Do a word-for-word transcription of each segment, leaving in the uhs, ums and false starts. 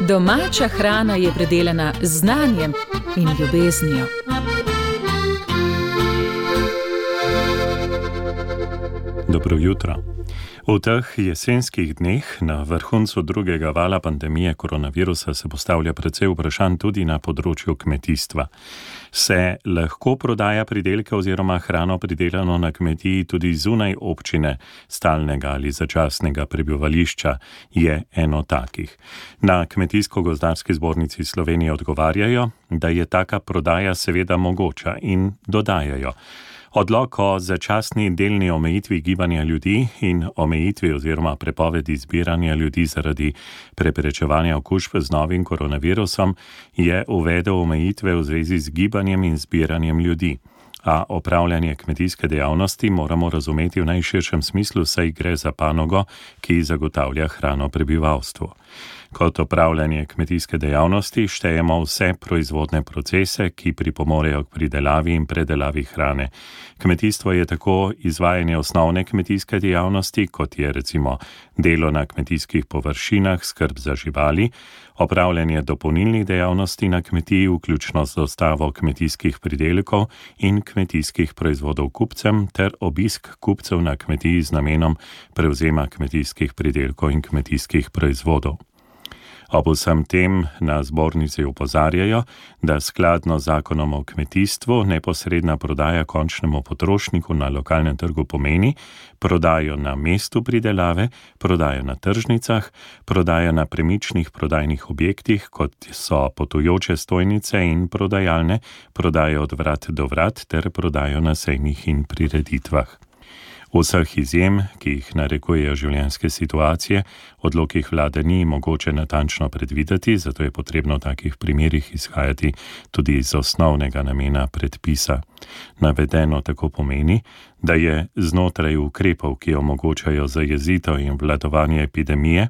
Domača hrana je predelana z znanjem in ljubeznijo. Dobro jutro. V teh jesenskih dneh na vrhuncu drugega vala pandemije koronavirusa se postavlja precej vprašanj tudi na področju kmetijstva. Se lahko prodaja pridelke oziroma hrano pridelano na kmetiji tudi zunaj občine stalnega ali začasnega prebivališča, je eno takih. Na Kmetijsko-gozdarski zbornici Slovenije odgovarjajo, da je taka prodaja seveda mogoča in dodajajo. Odlok o začasni delni omejitvi gibanja ljudi in omejitvi oziroma prepovedi zbiranja ljudi zaradi preprečevanja okužb z novim koronavirusom je uvedel omejitve v zvezi z gibanjem in zbiranjem ljudi. A opravljanje kmetijske dejavnosti moramo razumeti v najširšem smislu, saj gre za panogo, ki zagotavlja hrano prebivalstvu. Kot opravljanje kmetijske dejavnosti štejemo vse proizvodne procese, ki pripomorejo k pridelavi in predelavi hrane. Kmetijstvo je tako izvajanje osnovne kmetijske dejavnosti, kot je recimo delo na kmetijskih površinah, skrb za živali, opravljanje dopolnilnih dejavnosti na kmetiji, vključno z dostavo kmetijskih pridelkov in kmetijskih proizvodov kupcem, ter obisk kupcev na kmetiji z namenom prevzema kmetijskih pridelkov in kmetijskih proizvodov. Ob vsem tem na zbornici opozarjajo, da skladno z zakonom o kmetijstvu neposredna prodaja končnemu potrošniku na lokalnem trgu pomeni prodajo na mestu pridelave, prodajo na tržnicah, prodajo na premičnih prodajnih objektih, kot so potujoče stojnice in prodajalne, prodajo od vrat do vrat ter prodajo na sejmih in prireditvah. Vseh izjem, ki jih narekujejo življenjske situacije, odlokih vlade ni mogoče natančno predvideti, zato je potrebno v takih primerih izhajati tudi iz osnovnega namena predpisa. Navedeno tako pomeni, da je znotraj ukrepov, ki omogočajo zajezitev in obvladovanje epidemije,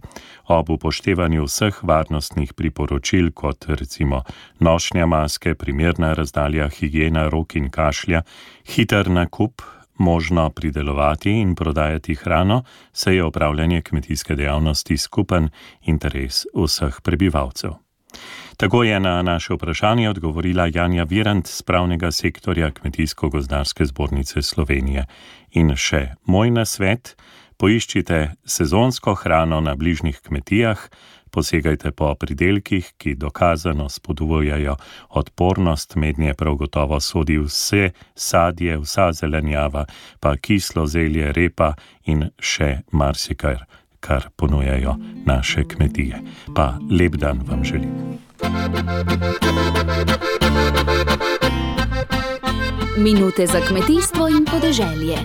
ob upoštevanju vseh varnostnih priporočil, kot recimo nošnja maske, primerna razdalja, higiena rok in kašlja, hiter nakup, možno pridelovati in prodajati hrano, saj je opravljanje kmetijske dejavnosti skupen interes vseh prebivalcev. Tako je na naše vprašanje odgovorila Janja Virant z pravnega sektorja Kmetijsko-gozdarske zbornice Slovenije. In še moj nasvet, poiščite sezonsko hrano na bližnjih kmetijah, posegajte po pridelkih, ki dokazano spodbujajo odpornost, mednje prav gotovo sodi vse sadje, vsa zelenjava, pa kislo zelje, repa in še marsikaj, kar ponujajo naše kmetije. Pa lep dan vam želim. Minute za kmetijstvo in podeželje.